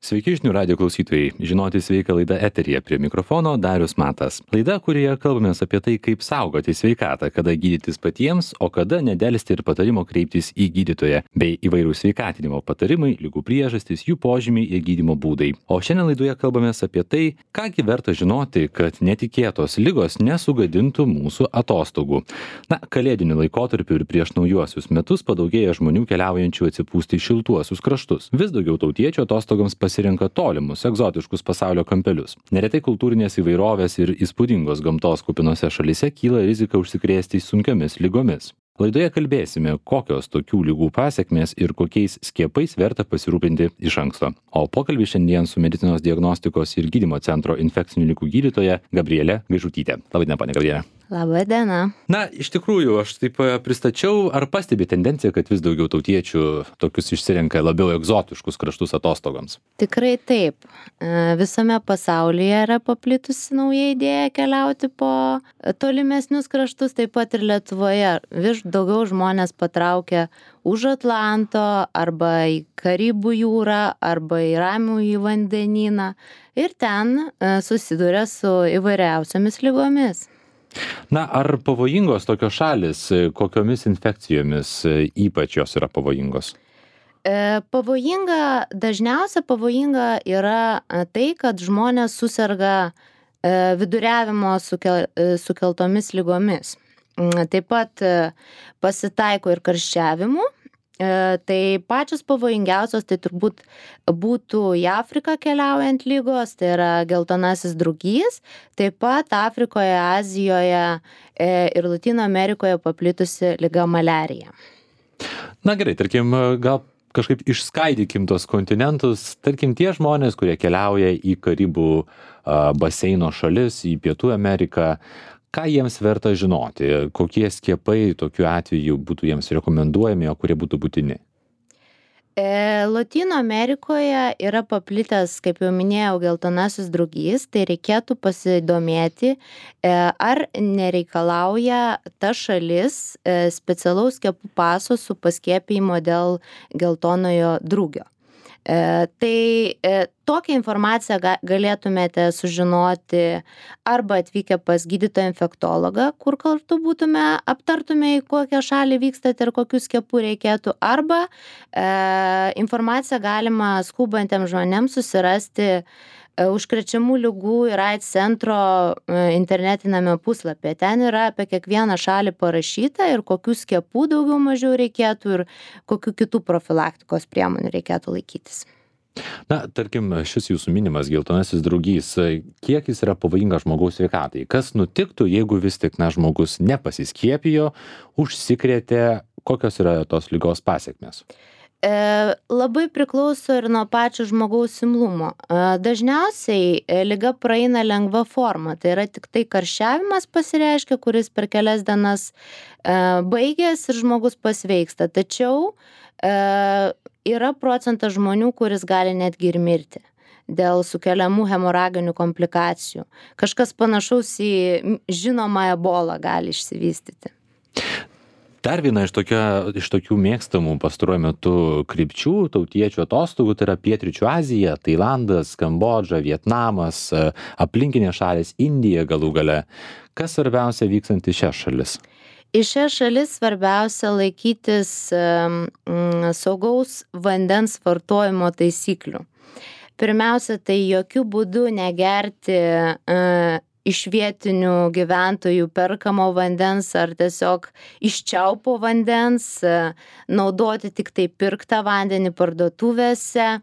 Sveiki žinių radijo klausytojai. Žinoti sveiką laidą eteryje, prie mikrofono Darius Matas. Laida, kurioje kalbamės apie tai, kaip saugoti sveikatą, kada gydytis patiems, o kada nedelsti ir patarimo kreiptis į gydytoją, bei įvairių sveikatinimo patarimai, ligų priežastys, jų požymiai ir gydymo būdai. O šiandien laidoje kalbamės apie tai, kągi verta žinoti, kad netikėtos ligos nesugadintų mūsų atostogų. Kalėdiniu laikotarpiu ir prieš naujuosius metus padaugėja žmonių keliaujančių atsipūsti į šiltuosius kraštus. Vis daugiau tautiečių atostogoms pasirenka tolimus, egzotiškus pasaulio kampelius. Neretai kultūrinės įvairovės ir įspūdingos gamtos kupinose šalyse kyla rizika užsikrėsti sunkiomis ligomis. Laidoje kalbėsime, kokios tokių ligų pasekmės ir kokiais skiepais verta pasirūpinti iš anksto. O pokalbį šiandien su medicinos diagnostikos ir gydymo centro infekcinių ligų gydytoja Gabrielė Gaižutytė. Labą dieną, ponia Gabrielė. Labą dieną. Iš tikrųjų, aš taip pristačiau, ar pastebi tendenciją, kad vis daugiau tautiečių tokius išsirenka labiau egzotiškus kraštus atostogoms? Tikrai taip. Visame pasaulyje yra paplitusi nauja idėja keliauti po tolimesnius kraštus, taip pat ir Lietuvoje. Vis daugiau žmonės patraukia už Atlanto arba į Karibų jūrą arba į Ramųjį vandenyną ir ten susiduria su įvairiausiomis ligomis. Ar pavojingos tokios šalis, kokiomis infekcijomis ypač jos yra pavojingos? Dažniausia pavojinga yra tai, kad žmonės suserga viduriavimo sukeltomis ligomis. Taip pat pasitaiko ir karščiavimų. Tai pačios pavojingiausios tai turbūt būtų į Afriką keliaujant lygos, tai yra geltonasis drugys, taip pat Afrikoje, Azijoje ir Latino Amerikoje paplitusi liga maliarija. Gerai, tarkim, gal kažkaip išskaidykim tos kontinentus, tarkim, tie žmonės, kurie keliauja į Karibų baseino šalis, į Pietų Ameriką, ką jiems verta žinoti, kokie skiepai tokiu atveju būtų jiems rekomenduojami, o kurie būtų būtini? Latino Amerikoje yra paplitęs, kaip jau minėjau, geltonasis drugys, tai reikėtų pasidomėti, ar nereikalauja ta šalis specialaus skiepų paso su paskiepijimo dėl geltonojo drugio. Tai tokią informaciją galėtumėte sužinoti arba atvykę pas gydytoją infektologą, kur kartu aptartume, į kokią šalį vykstate ir kokių skiepų reikėtų, arba informaciją galima skubantiems žmonėms susirasti užkrečiamų ligų ir AIDS centro internetinėme puslapyje. Ten yra apie kiekvieną šalį parašyta ir kokių skiepų daugiau mažiau reikėtų ir kokių kitų profilaktikos priemonių reikėtų laikytis. Tarkim, šis jūsų minimas geltonasis drugys, kiek jis yra pavojingas žmogaus sveikatai? Kas nutiktų, jeigu vis tik žmogus nepasiskiepijo, užsikrėtė, kokios yra tos ligos pasekmės? Labai priklauso ir nuo pačio žmogaus imlumo. Dažniausiai liga praeina lengva forma, tai yra tik tai karščiavimas pasireiškia, kuris per kelias dienas baigės ir žmogus pasveiksta. Tačiau yra procentas žmonių, kuris gali netgi ir mirti dėl sukeliamų hemoraginių komplikacijų. Kažkas panašaus į žinomą ebolą gali išsivystyti. Dar viena iš tokių mėgstamų pastaruoju metu krypčių tautiečių atostogų, tai yra Pietryčių Azija, Tailandas, Kambodža, Vietnamas, aplinkinės šalys, Indija galų gale. Kas svarbiausia vykstant į šias šalis? Į šias šalis svarbiausia laikytis saugaus vandens vartojimo taisyklių. Pirmiausia, tai jokių būdų negerti iš vietinių gyventojų perkamo vandens ar tiesiog iš čiaupo vandens, naudoti tik tai pirktą vandenį parduotuvėse,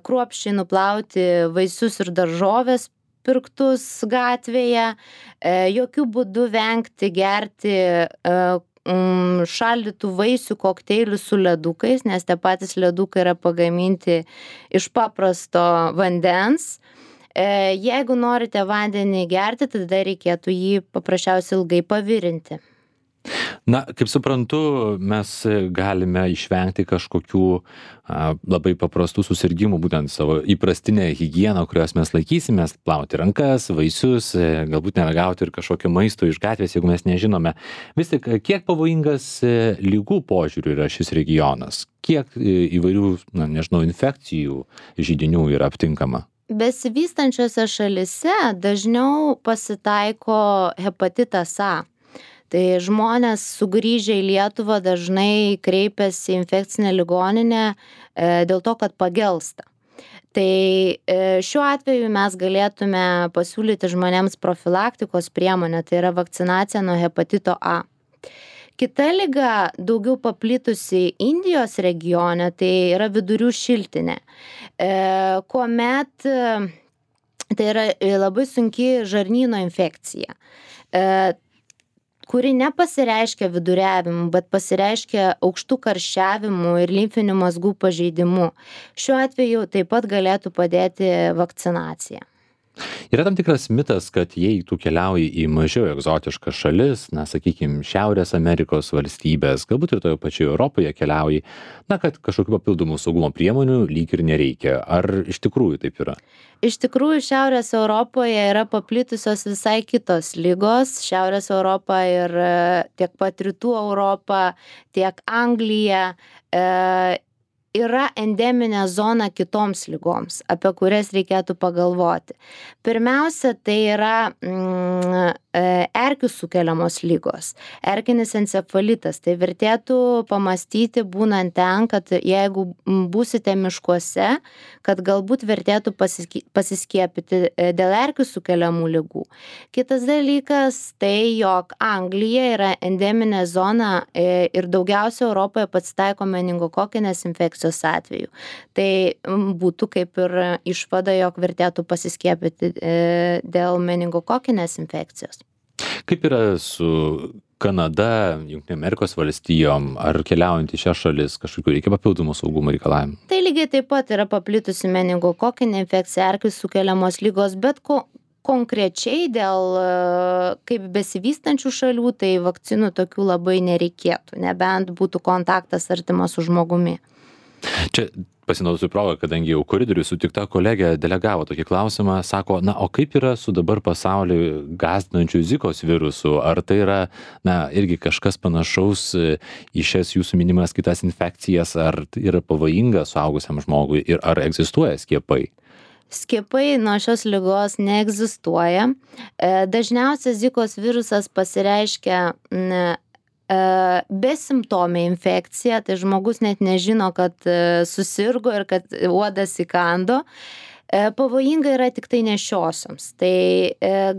kruopščiai nuplauti vaisius ir daržoves pirktus gatvėje, jokių būdų vengti gerti šaldytų vaisių kokteilių su ledukais, nes tie patys ledukai yra pagaminti iš paprasto vandens. Jeigu norite vandenį gerti, tada reikėtų jį paprasčiausiai ilgai pavirinti. Na, kaip suprantu, mes galime išvengti kažkokių labai paprastų susirgymų, būtent savo įprastinę higieną, kurios mes laikysimės, plauti rankas, vaisius, galbūt neragauti ir kažkokio maisto iš gatvės, jeigu mes nežinome. Vis tik, kiek pavojingas lygų požiūrių yra šis regionas? Kiek įvairių, nežinau, infekcijų, židinių yra aptinkama? Besivystančiose šalise dažniau pasitaiko hepatitas A. Tai žmonės sugrįžę į Lietuvą dažnai kreipiasi į infekcinę ligoninę dėl to, kad pagelsta. Tai šiuo atveju mes galėtume pasiūlyti žmonėms profilaktikos priemonę, tai yra vakcinacija nuo hepatito A. Kita liga, daugiau paplitusi Indijos regione, tai yra vidurių šiltinė, kuomet tai yra labai sunki žarnyno infekcija, kuri nepasireiškia viduriavimu, bet pasireiškia aukštų karščiavimu ir limfinių mazgų pažeidimu. Šiuo atveju taip pat galėtų padėti vakcinacija. Yra tam tikras mitas, kad jei tu keliauji į mažiau egzotiškas šalis, sakykime, Šiaurės Amerikos valstybės, galbūt ir toje pačioje Europoje keliauji, kad kažkokių papildomų saugumo priemonių lyg ir nereikia. Ar iš tikrųjų taip yra? Iš tikrųjų, Šiaurės Europoje yra paplitusios visai kitos ligos. Šiaurės Europa ir tiek pat Rytų Europa, tiek Anglija yra endeminė zona kitoms ligoms, apie kurias reikėtų pagalvoti. Pirmiausia, tai yra erkių sukeliamos ligos, erkinis encefalitas. Tai vertėtų pamastyti būnant ten, kad jeigu būsite miškuose, kad galbūt vertėtų pasiskiepyti dėl erkių sukeliamų ligų. Kitas dalykas, tai jog Anglija yra endeminė zona ir daugiausia Europoje pasitaiko meningokokinės infekcijos atveju. Tai būtų kaip ir išvada, jog vertėtų pasiskiepyti dėl meningokokinės infekcijos. Kaip yra su Kanada, Jungtinėm Amerikos valstijom, ar keliaujant į šią šalis kažkokių reikia papildomų saugumo reikalavimų? Tai lygiai taip pat yra paplitusi meningokokinė infekcija, erkių sukeliamos ligos, bet konkrečiai dėl kaip besivystančių šalių, tai vakcinų tokių labai nereikėtų, nebent būtų kontaktas artimas su žmogumi. Čia pasinaudosiu progą, kadangi jau koridoriui sutikta kolegė delegavo tokį klausimą, sako, o kaip yra su dabar pasaulį gąsdinančiu Zikos virusu? Ar tai yra, irgi kažkas panašaus į šias jūsų minimas kitas infekcijas, ar yra pavojinga suaugusiam žmogui ir ar egzistuoja skiepai? Skiepai nuo šios ligos neegzistuoja. Dažniausiai Zikos virusas pasireiškia besimptomė infekcija, tai žmogus net nežino, kad susirgo ir kad uodas įkando. Pavojinga yra tik tai nešiosioms. Tai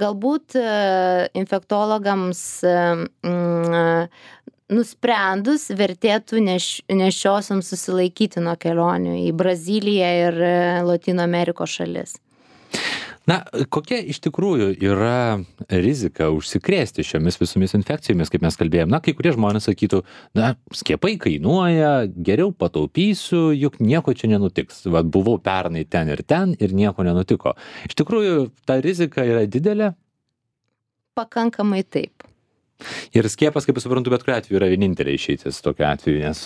galbūt infektologams nusprendus vertėtų nešiosioms susilaikyti nuo kelionių į Braziliją ir Lotynų Amerikos šalis. Kokia iš tikrųjų yra rizika užsikrėsti šiomis visomis infekcijomis, kaip mes kalbėjom? Kai kurie žmonės sakytų, skiepai kainuoja, geriau pataupysiu, juk nieko čia nenutiks. Buvau pernai ten ir nieko nenutiko. Iš tikrųjų, ta rizika yra didelė? Pakankamai taip. Ir skiepas, kaip suprantu, bet kuriuo atveju yra vienintelė išeitis tokiu atveju, nes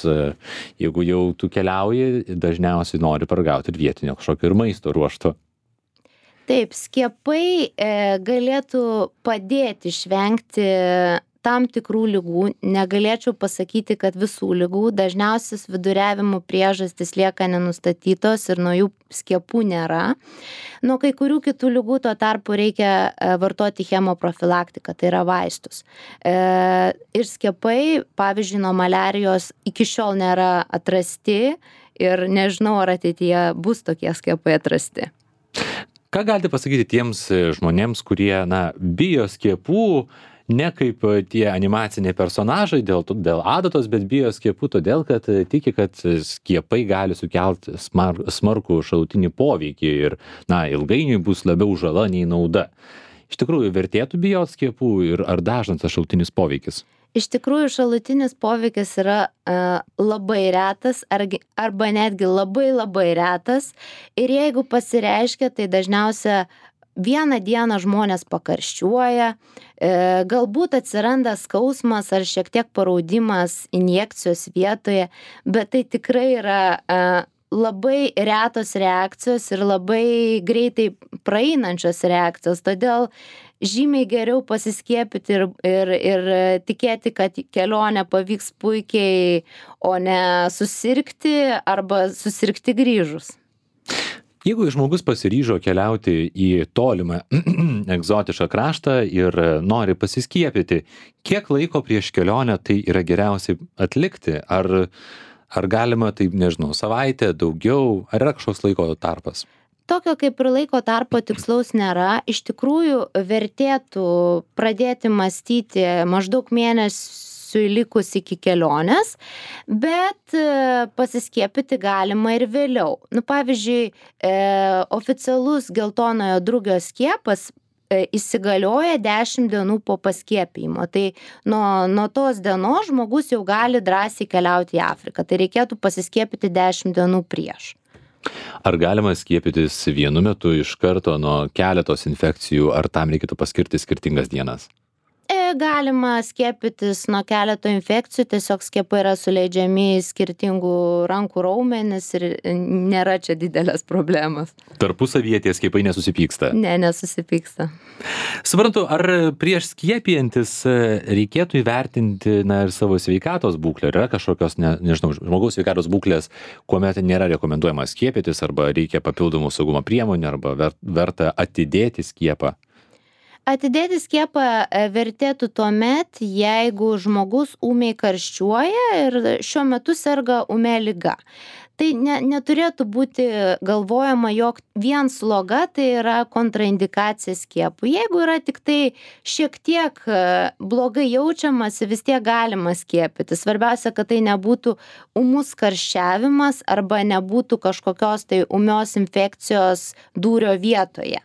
jeigu jau tu keliauji, dažniausiai nori paragauti ir vietinio kažkokio ir maisto ruošto. Taip, skiepai galėtų padėti išvengti tam tikrų ligų. Negalėčiau pasakyti, kad visų ligų. Dažniausias viduriavimo priežastys lieka nenustatytos ir nuo jų skiepų nėra. Nuo kai kurių kitų ligų tuo tarpu reikia vartoti chemoprofilaktiką, tai yra vaistus. Ir skiepai, pavyzdžiui, nuo maliarijos iki šiol nėra atrasti ir nežinau, ar ateityje bus tokie skiepai atrasti. Ką galite pasakyti tiems žmonėms, kurie, bijo skiepų, ne kaip tie animaciniai personažai dėl adatos, bet bijo skiepų todėl, kad tiki, kad skiepai gali sukelti smarkų šalutinį poveikį ir, ilgainiui bus labiau žala nei nauda. Iš tikrųjų, vertėtų bijoti skiepų ir ar dažnas tas šalutinis poveikis? Iš tikrųjų, šalutinis poveikis yra labai retas arba netgi labai labai retas ir jeigu pasireiškia, tai dažniausia vieną dieną žmonės pakarščiuoja, galbūt atsiranda skausmas ar šiek tiek paraudimas injekcijos vietoje, bet tai tikrai yra labai retos reakcijos ir labai greitai praeinančios reakcijos, todėl žymiai geriau pasiskiepyti ir tikėti, kad kelionė pavyks puikiai, o ne susirgti arba susirgti grįžus. Jeigu žmogus pasiryžo keliauti į tolimą egzotišką kraštą ir nori pasiskiepyti, kiek laiko prieš kelionę tai yra geriausiai atlikti? Ar galima, taip nežinau, savaitę, daugiau, ar yra kažkoks laiko tarpas? Tokio kaip ir laiko tarpo tikslaus nėra. Iš tikrųjų, vertėtų pradėti mąstyti maždaug mėnesiui likus iki kelionės, bet pasiskiepyti galima ir vėliau. Pavyzdžiui, oficialus geltonojo drugio skiepas įsigalioja 10 dienų po paskiepijimo. Tai nuo tos dienos žmogus jau gali drąsiai keliauti į Afriką. Tai reikėtų pasiskiepyti 10 dienų prieš. Ar galima skiepytis vienu metu iš karto nuo keletos infekcijų, ar tam reikėtų paskirti skirtingas dienas? Galima skiepytis nuo keleto infekcijų, tiesiog skiepai yra suleidžiami į skirtingų rankų raumenis ir nėra čia didelės problemos. Tarpusavyje tie skiepai nesusipyksta? Ne, nesusipyksta. Suprantu, ar prieš skiepijantis reikėtų įvertinti ir savo sveikatos būklę? Yra kažkokios, nežinau, žmogaus sveikatos būklės, kuomet nėra rekomenduojama skiepytis, arba reikia papildomų saugumo priemonių, arba verta atidėti skiepą? Atidėti skiepą vertėtų tuomet, jeigu žmogus ūmiai karščiuoja ir šiuo metu serga ūmia liga. Tai neturėtų būti galvojama, jog vien sloga tai yra kontraindikacija skiepui. Jeigu yra tik tai šiek tiek blogai jaučiamasi, vis tiek galima skiepyti. Svarbiausia, kad tai nebūtų ūmus karščiavimas arba nebūtų kažkokios tai ūmios infekcijos dūrio vietoje.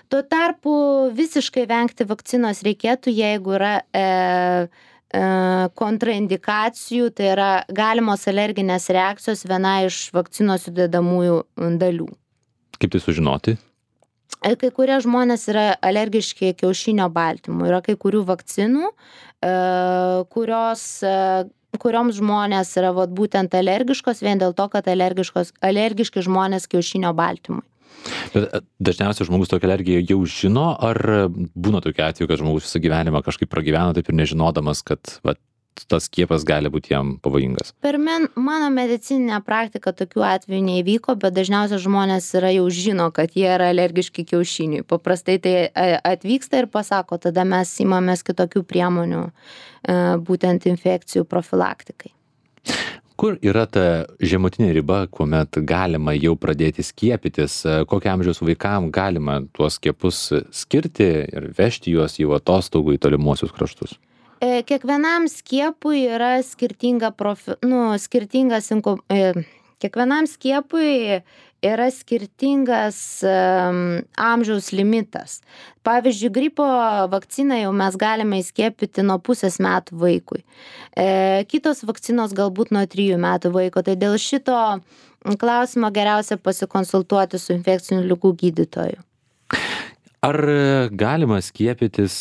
Tuo tarpu visiškai vengti vakcinos reikėtų, jeigu yra kontraindikacijų, tai yra galimos alerginės reakcijos viena iš vakcinos sudedamųjų dalių. Kaip tai sužinoti? Kai kurie žmonės yra alergiški kiaušinio baltymų. Yra kai kurių vakcinų, kurioms žmonės yra būtent alergiškos vien dėl to, kad alergiški žmonės kiaušinio baltymui. Bet dažniausiai žmogus tokią alergiją jau žino, ar būna tokiu atveju, kad žmogus visą gyvenimą kažkaip pragyveno taip ir nežinodamas, kad tas skiepas gali būti jam pavojingas? Per mano medicininę praktiką tokių atvejų neįvyko, bet dažniausiai žmonės jau žino, kad jie yra alergiški kiaušiniui. Paprastai tai atvyksta ir pasako, tada mes imamės kitokių priemonių būtent infekcijų profilaktikai. Kur yra ta žemutinė riba, kuomet galima jau pradėti skiepytis? Kokio amžiaus vaikam galima tuos skiepus skirti ir vežti juos į atostogų į tolimuosius kraštus? Kiekvienam skiepui yra kiekvienam skiepui yra skirtingas amžiaus limitas. Pavyzdžiui, gripo vakciną jau mes galime įskiepyti nuo 0,5 metų vaikui. Kitos vakcinos galbūt nuo 3 metų vaiko. Tai dėl šito klausimo geriausia pasikonsultuoti su infekcinių ligų gydytoju. Ar galima skiepytis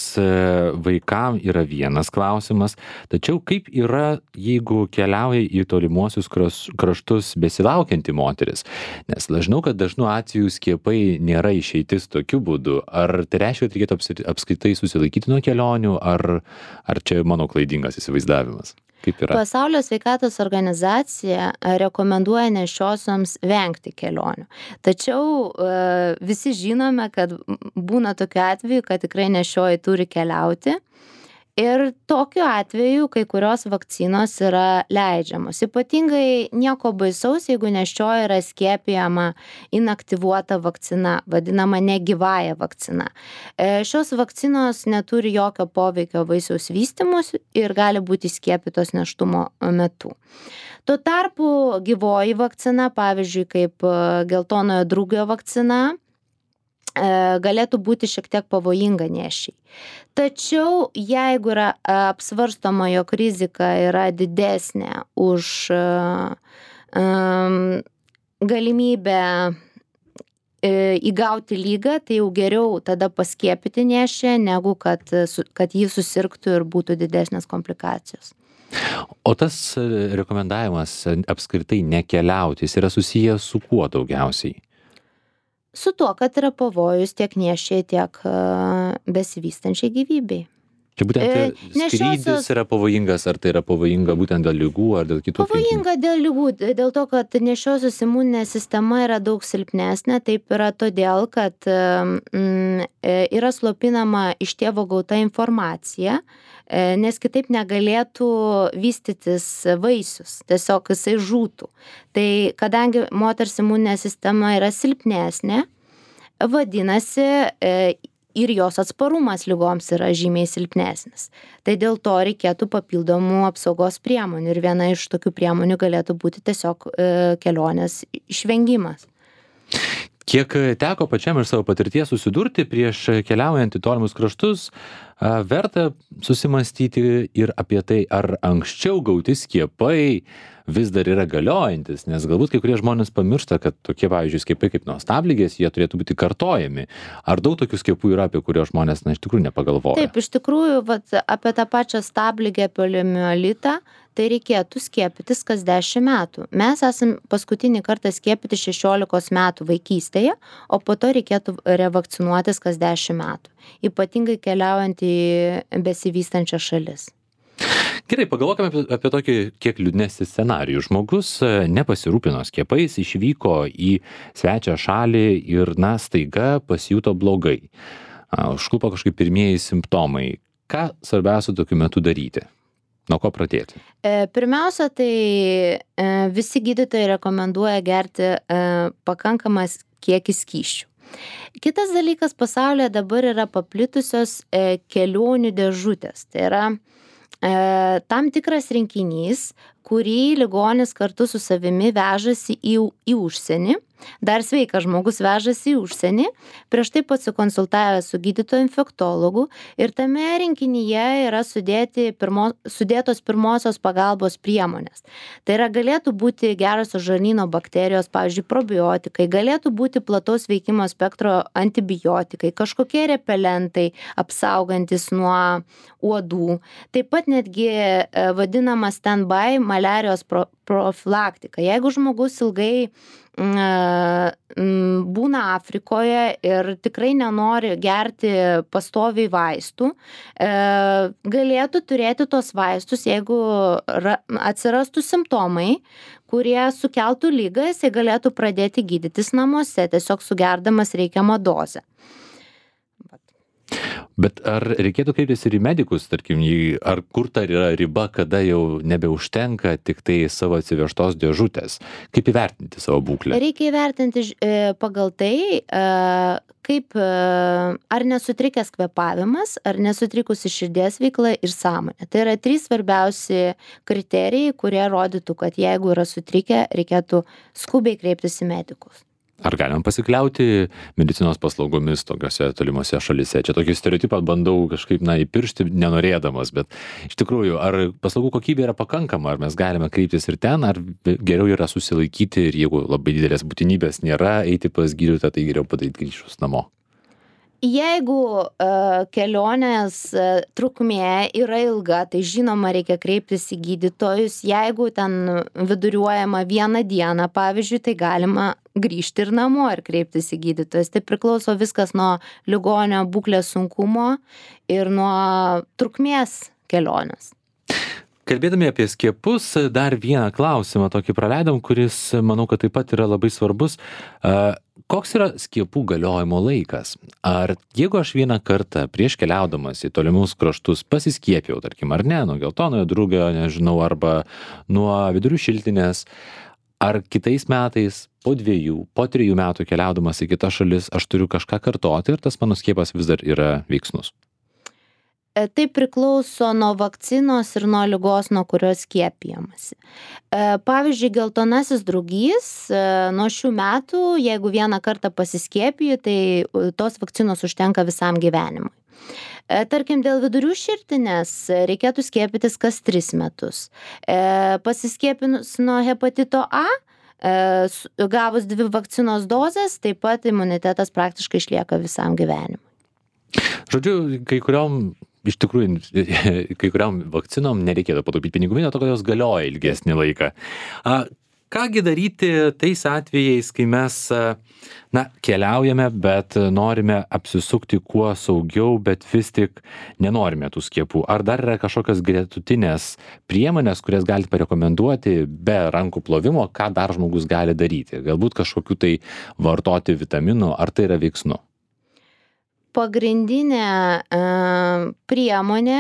vaikam yra vienas klausimas, tačiau kaip yra, jeigu keliauja į tolimuosius kraštus besilaukianti moteris? Nes žinau, kad dažnu atveju skiepai nėra išeitis tokiu būdu. Ar tai reiškia, kad reikėtų apskritai susilaikyti nuo kelionių, ar čia mano klaidingas įsivaizdavimas? Kaip yra? Pasaulio sveikatos organizacija rekomenduoja nėščiosioms vengti kelionių. Tačiau visi žinome, kad būna tokiu atveju, kad tikrai nėščioji turi keliauti. Ir tokiu atveju kai kurios vakcinos yra leidžiamos. Ypatingai nieko baisaus, jeigu nėščioji yra skiepijama inaktyvuota vakcina, vadinama negyvąja vakcina. Šios vakcinos neturi jokio poveikio vaisiaus vystymuisi ir gali būti skiepytos nėštumo metu. Tuo tarpu gyvoji vakcina, pavyzdžiui, kaip geltonojo drugio vakcina, galėtų būti šiek tiek pavojinga nėščiai. Tačiau jeigu yra apsvarstoma, jog rizika yra didesnė už galimybę įgauti lygą, tai jau geriau tada paskiepyti nėščią, negu kad jį susirgtų ir būtų didesnės komplikacijos. O tas rekomendavimas apskritai nekeliauti, jis yra susijęs su kuo daugiausiai? Su tuo, kad yra pavojus tiek nėščiai, tiek besivystančiai gyvybei. Čia būtent skrydis yra pavojingas, ar tai yra pavojinga būtent dėl ligų ar dėl kitų aplinkybių? Pavojinga dėl ligų, dėl to, kad nėščiosios imuninė sistema yra daug silpnesnė, taip yra todėl, kad yra slopinama iš tėvo gauta informacija, nes kitaip negalėtų vystytis vaisius, tiesiog jisai žūtų. Tai kadangi moters imuninė sistema yra silpnesnė, vadinasi, ir jos atsparumas ligoms yra žymiai silpnesnis. Tai dėl to reikėtų papildomų apsaugos priemonių ir viena iš tokių priemonių galėtų būti tiesiog kelionės išvengimas. Kiek teko pačiam iš savo patirties susidurti prieš keliaujant į tolimus kraštus, verta susimastyti ir apie tai, ar anksčiau gauti skiepai vis dar yra galiojantis, nes galbūt kai kurie žmonės pamiršta, kad tokie, pavyzdžiui, skiepai kaip nuo stabligės, jie turėtų būti kartojami. Ar daug tokių skiepų yra, apie kuriuos žmonės, iš tikrųjų nepagalvoja? Taip, iš tikrųjų, apie tą pačią stabligę, poliomielitą, tai reikėtų skiepytis kas 10 metų. Mes esam paskutinį kartą skiepyti 16 metų vaikystėje, o po to reikėtų revakcinuotis kas 10 metų, ypatingai keliaujant į besivystančias šalis. Gerai, pagalvokime apie tokį kiek liūdnesnį scenarijų. Žmogus nepasirūpino skiepais, išvyko į svečią šalį ir, staiga pasijuto blogai. Užklupo kažkaip pirmieji simptomai. Ką svarbiausia tokiu metu daryti? Nuo ko pradėti? Pirmiausia, tai visi gydytojai rekomenduoja gerti pakankamas kiekis skysčių. Kitas dalykas, pasaulyje dabar yra paplitusios kelionių dėžutės. Tai yra tam tikras rinkinys, kurį ligonis kartu su savimi vežasi į užsienį. Dar sveikas žmogus vežasi į užsienį, prieš tai pasikonsultavęs su gydytoju infektologu ir tame rinkinyje yra sudėtos pirmosios pagalbos priemonės. Tai yra galėtų būti gerosios žarnyno bakterijos, pavyzdžiui, probiotikai, galėtų būti plataus veikimo spektro antibiotikai, kažkokie repelentai apsaugantis nuo uodų. Taip pat netgi vadinama stand-by maliarijos profilaktika. Jeigu žmogus ilgai būna Afrikoje ir tikrai nenori gerti pastoviai vaistų, galėtų turėti tos vaistus, jeigu atsirastų simptomai, kurie sukeltų ligą, jisai galėtų pradėti gydytis namuose, tiesiog sugerdamas reikiamą dozę. Bet ar reikėtų kreiptis ir į medikus, tarkim, ar kur ta yra riba, kada jau nebeužtenka tik tai savo atsivežtos dėžutės? Kaip įvertinti savo būklę? Reikia įvertinti pagal tai, ar nesutrikęs kvėpavimas, ar nesutrikusi širdies veikla ir sąmonė. Tai yra 3 svarbiausi kriterijai, kurie rodytų, kad jeigu yra sutrikę, reikėtų skubiai kreiptis į medikus. Ar galim pasikliauti medicinos paslaugomis tokiose tolimose šalise? Čia tokį stereotipą bandau kažkaip įpiršti nenorėdamas, bet iš tikrųjų, ar paslaugų kokybė yra pakankama, ar mes galime kreiptis ir ten, ar geriau yra susilaikyti ir jeigu labai didelės būtinybės nėra, eiti pas gydytoją, tai geriau padaryti grįžus namo? Jeigu kelionės trukmė yra ilga, tai žinoma reikia kreiptis į gydytojus. Jeigu ten viduriuojama 1 dieną, pavyzdžiui, tai galima grįžti ir namo ir kreiptis į gydytojus. Tai priklauso viskas nuo ligonio būklės sunkumo ir nuo trukmės kelionės. Kalbėdami apie skiepus, dar vieną klausimą tokį praleidom, kuris, manau, kad taip pat yra labai svarbus. Koks yra skiepų galiojimo laikas? Ar jeigu aš vieną kartą prieš keliaudamas į tolimus kraštus pasiskiepijau, tarkim, ar ne, nuo geltonojo drugio, nežinau, arba nuo vidurių šiltinės, ar kitais metais, po 2, po 3 metų keliaudamas į kitas šalis, aš turiu kažką kartoti ir tas mano skiepas vis dar yra veiksnus? Tai priklauso nuo vakcinos ir nuo ligos, nuo kurios skiepijamasi. Pavyzdžiui, geltonasis drugys nuo šių metų, jeigu vieną kartą pasiskiepiju, tai tos vakcinos užtenka visam gyvenimui. Tarkim, dėl vidurių širtinės reikėtų skiepytis kas 3 metus. Pasiskiepinus nuo hepatito A, gavus 2 vakcinos dozes, taip pat imunitetas praktiškai išlieka visam gyvenimui. Žodžiu, iš tikrųjų, kai kuriam vakcinom nereikėtų pataupyti pinigų, dėl to, kad jos galioja ilgesnį laiką. Kągi daryti tais atvejais, kai mes keliaujame, bet norime apsisukti kuo saugiau, bet vis tik nenorime tų skiepų? Ar dar yra kažkokios gretutinės priemonės, kurias galite parekomenduoti be rankų plovimo, ką dar žmogus gali daryti? Galbūt kažkokių tai vartoti vitaminų, ar tai yra veiksnu? Pagrindinė priemonė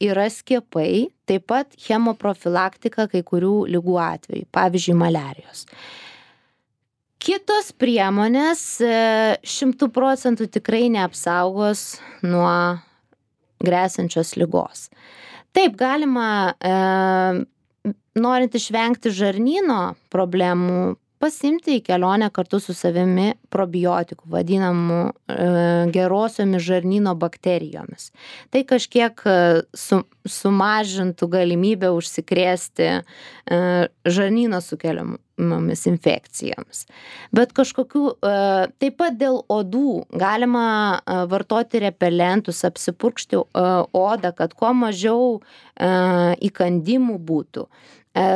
yra skiepai, taip pat chemoprofilaktika kai kurių ligų atveju, pavyzdžiui, maliarijos. Kitos priemonės 100% tikrai neapsaugos nuo gresiančios ligos. Taip, galima, norint išvengti žarnyno problemų, pasimti į kelionę kartu su savimi probiotikų, vadinamų gerosiomis žarnyno bakterijomis. Tai kažkiek sumažintų galimybę užsikrėsti žarnyno sukeliamomis infekcijomis. Bet kažkokių, taip pat dėl odų galima vartoti repelentus, apsipurkšti odą, kad kuo mažiau įkandimų būtų.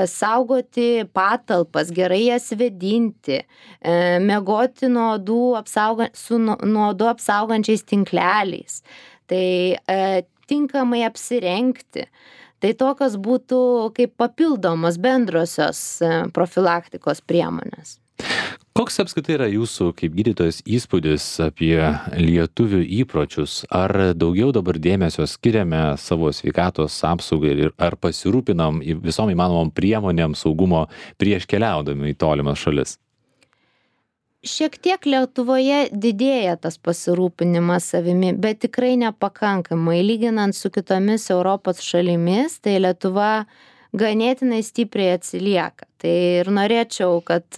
Saugoti patalpas, gerai jas vėdinti, miegoti nuo odų apsaugančiais tinkleliais, tai tinkamai apsirengti. Tai tokios būtų kaip papildomos bendrosios profilaktikos priemonės. Koks apskritai yra jūsų kaip gydytojas įspūdis apie lietuvių įpročius? Ar daugiau dabar dėmesio skiriame savo sveikatos apsaugai ir ar pasirūpinam visom įmanomom priemonėm saugumo prieš keliaudami į tolimas šalis? Šiek tiek Lietuvoje didėja tas pasirūpinimas savimi, bet tikrai nepakankamai. Lyginant su kitomis Europos šalimis, tai Lietuva ganėtinai stipriai atsilieka. Tai ir norėčiau, kad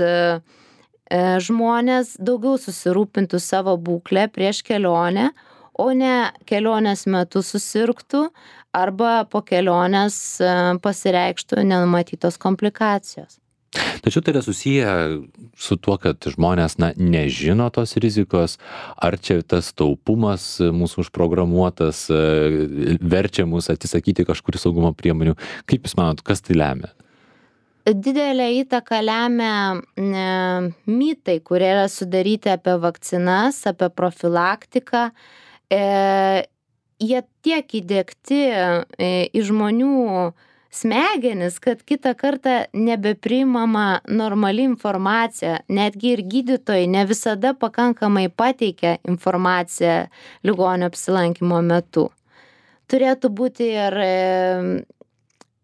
žmonės daugiau susirūpintų savo būklę prieš kelionę, o ne kelionės metu susirgtų arba po kelionės pasireikštų nenumatytos komplikacijos. Tačiau tai yra susiję su tuo, kad žmonės nežino tos rizikos, ar čia tas taupumas mūsų užprogramuotas verčia mus atsisakyti kažkurių saugumo priemonių. Kaip Jūs manot, kas tai lemia? Didelę įtaką lemia mitai, kurie yra sudaryti apie vakcinas, apie profilaktiką. Jie tiek įdiegti į žmonių smegenis, kad kitą kartą nebepriimama normali informacija. Netgi ir gydytojai ne visada pakankamai pateikia informaciją ligonio apsilankymo metu. Turėtų būti ir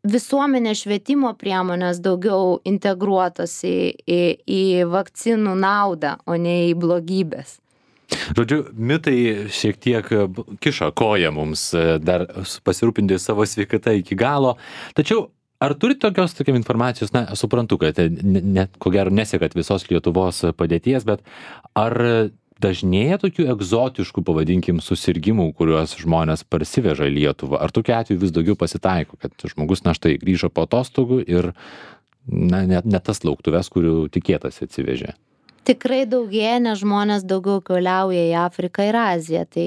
visuomenės švietimo priemonės daugiau integruotos į vakcinų naudą, o ne į blogybės. Žodžiu, mitai šiek tiek kiša koją mums dar pasirūpinti savo sveikatą iki galo. Tačiau, ar turite tokios informacijos, suprantu, kad ko gero nesekat visos Lietuvos padėties, bet ar dažnėja tokių egzotiškų, pavadinkim, susirgimų, kuriuos žmonės parsiveža į Lietuvą? Ar tokiu atveju vis daugiau pasitaiko, kad žmogus štai grįžo po atostogų ir ne tas lauktuves, kurių tikėtasi atsivežė? Tikrai daugėja, nes žmonės daugiau keliauja į Afriką ir Aziją. Tai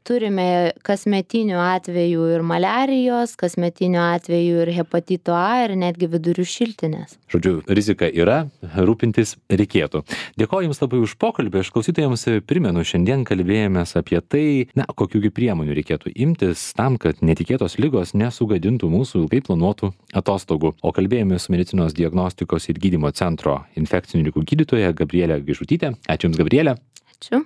turime kasmetinių atvejų ir maliarijos, kasmetinių atvejų ir hepatito A ir netgi vidurių šiltinės. Žodžiu, rizika yra, rūpintis reikėtų. Dėkoju Jums labai už pokalbį. Aš klausytojams primenu, šiandien kalbėjomės apie tai, kokių priemonių reikėtų imtis tam, kad netikėtos ligos nesugadintų mūsų ilgai planuotų atostogų. O kalbėjome su medicinos diagnostikos ir gydymo centro infekcinių ligų gydytoja Gabrielė Gaižutytė. Ačiū Jums, Gabrielė. Ačiū.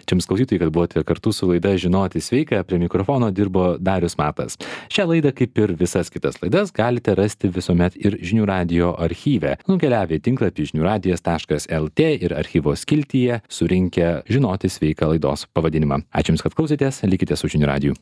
Čia Jums klausytojai, kad buvote kartu su laida Žinoti sveika. Prie mikrofono dirbo Darius Matas. Šią laidą, kaip ir visas kitas laidas, galite rasti visuomet ir Žinių radijo archyve. Nukeliavę į tinklapį žiniųradijas.lt ir archyvo skiltyje surinkę Žinoti sveika laidos pavadinimą. Ačiū Jums, kad klausėtės. Likite su Žinių radiju.